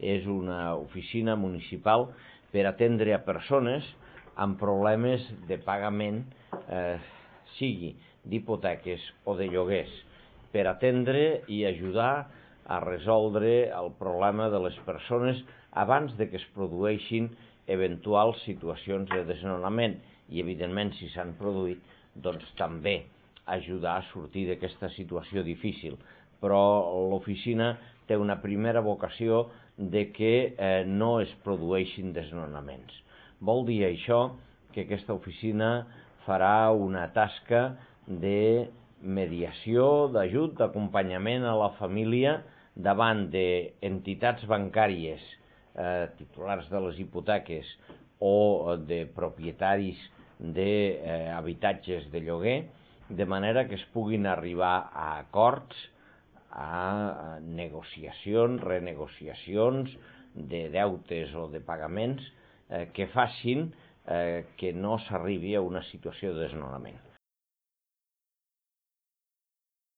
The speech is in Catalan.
és una oficina municipal per atendre a persones amb problemes de pagament, sigui d'hipoteques o de lloguers, per atendre i ajudar a resoldre el problema de les persones abans de que es produeixin eventuals situacions de desnonament i, evidentment, si s'han produït, doncs també ajudar a sortir d'aquesta situació difícil. Però l'oficina té una primera vocació de que no es produeixin desnonaments. Vol dir això que aquesta oficina farà una tasca de mediació, d'ajut, d'acompanyament a la família davant d'entitats bancàries, titulars de les hipoteques o de propietaris d'habitatges de lloguer, de manera que es puguin arribar a acords, a negociacions, renegociacions de deutes o de pagaments que facin que no s'arribi a una situació de desnonament.